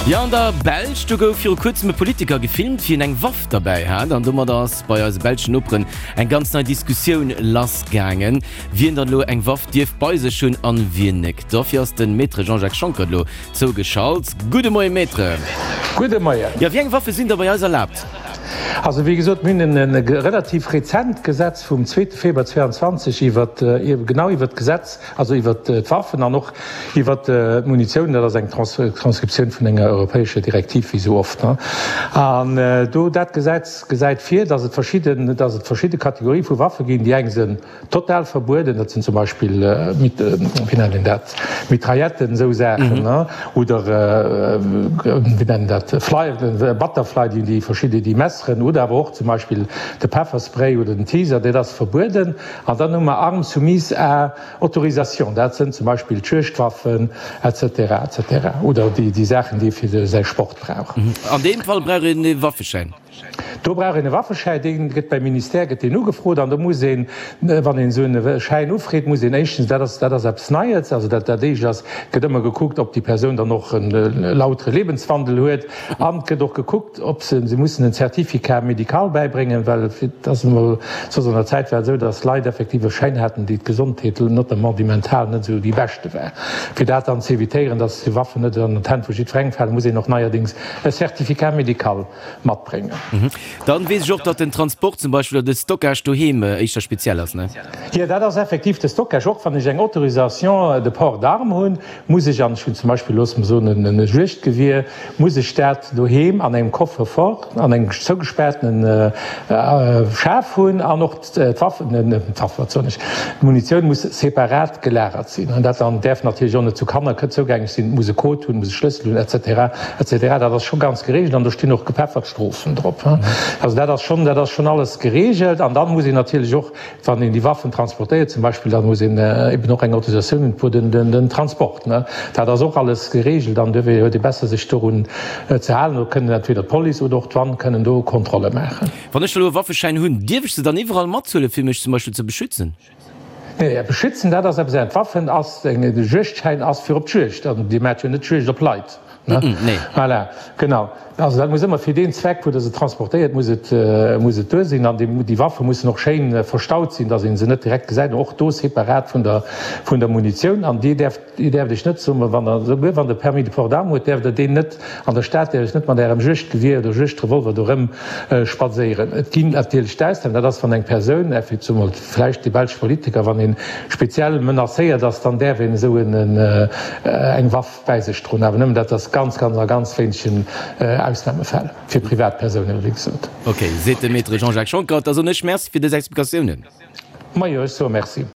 Jo, an der Belsch, do gouf viru kuerzem e Politiker gefilmt, wéi en eng Waff derbäi hat. An domadder ass bei eise belschen Noperen eng ganz nei Diskussioun lassgaangen, wien dann elo eng Waff dierf bei sech hunn an wien nek. Dofir ass de Maître Jean-Jacques Schonckert elo zougeschalt. Gudde Moie Maître. Gudde Moien. Jo, wéi eng Waffe sinn da bei eis erlaabt? Also wéi gesot, mir hunn e relativ rezent Gesetz vum zweete Februar 22 iwwert, genau iwwert d'Gesetz, also iwwert d'Waffen an och iwwert d'Munitioun. Dat ass eng Transkriptioun vun enger europäescher Direktiv, wéi esou oft. An do, dat Gesetz gesäit vir, dass et verschidden, dass et verschidde Kategorie vu Waffe ginn. Déi eng sinn total verbueden, dat sinn zum Beispill, wéi nennt een dat, Mitrailletten, esou Saachen, oder, wéi nennt een dat, Fly, Butterfly, déi verschidde, déi Messeren, oder awer och zum Beispill de Pefferspray oder den Taser, dat ass verbueden. An dann hu mer Armes soumises à autorisation, dat sënn zum Beispill d'Juegdwaffen, et cetera, et cetera, oder déi Saachen, déi ee fir säi Sport brauch. An deem Fall brauch een e Waffeschäin? Do brauch een e Waffeschäin, dee gëtt beim Ministère gëtt deen ugefrot an do muss een, wann een esou e Schäin ufreet, muss een éischtens, dat ass, dat ass eppes Neies, also dat dat éischt ass, gëtt ëmmer gekuckt, ob déi Persoun dann och e lautere Lebenswandel huet an et gëtt och gekuckt, ob se, se mussen en Certificat médical bäibréngen, well et ass emol soss an der Zäit war et esou, datt Leit effektiv e Schäin haten, déi d'Gesondheet, notamment déi mental, net esou déi beschte war. Fir dat dann ze evitéieren, datt déi Waffen net an d'Hänn vu jiddwerengem falen, muss een och neierdéngs e Certificat médical matbréngen. Dann weess ech och, datt den Transport zum Beispill oder de Stockage doheem éischter speziell ass, ne? Jo, dat ass effektiv de Stockage. Och wann ech eng Autorisation de port d'armes hunn, muss ech, an ech hunn zum Beispill, loosse mer soen, e Juegdgewier, muss ech dat doheem an engem Coffre-fort, an engem zougespaartenen Schaf hunn an och d'Waffen, d'Waffen, wat soen ech, d'Munitioun muss separat gelagert sinn. An dat dann däerf natierlech och net zu Kanner zougänglech sinn, et muss e Code hunn, et muss e Schlëssel hunn, et cetera, et cetera. Dat ass scho ganz geregelt an do stinn och gepeffert Strofen drop. Also dat ass schonn, dat ass schonn alles geregelt. An dann muss een natierlech och, wann een déi Waffen transportéiert zum Beispill, dann muss een eben och eng Autorisatioun hunn pour den Transport. Dat ass och alles geregelt an duerfir huet ee besser sech dorun ze halen. Do kënnen entweder d'Police oder och d'Douane kënnen do Kontrolle maachen. Wann ech elo e Waffeschäin hunn, dierf ech se dann iwwerall mathuelen, fir mech zum Beispill ze beschützen? Nee, beschützen, dat ass eppes anescht. D'Waffen ass eng, de Juegdschäin ass fir op d'Juegd. An Dir maacht jo net Juegd op Leit, ne? Nee. Voilà, genau. Also dat muss ëmmer fir deen Zweck, wou Der se transportéiert, muss et, muss et duer sinn. An déi, déi Waffe mussen och schéin verstaut sinn, dass ee se net direkt gesäit, och do separat vun der, vun der Munitioun. An Dir däerft Dir däerft Iech net, soe mer, wann Der, souguer wann Der Permis de port d'armes hutt, däerft Der deen net an der Stad, däerft Iech net mat Ärem Juegdgewier oder Juegdrevolver do rëm spadséieren. Et ginn natierlech d'Ausnamen, dat ass, wann eng Persoun, effektiv mol vläicht dee belsche Politiker, wann ee speziell menacéiert ass, dann däerf een esou eng Waff bäi sech droen. Awer nëmmen dat ass ganz, ganz a ganz wéinegen Ausnamefäll, fir Privatpersounen, wéi gesot. Ok, seet de Maître Jean-Jacques Schonckert. Da soen ech Merci fir dës Explikatiounen. Majo, ech soe Merci.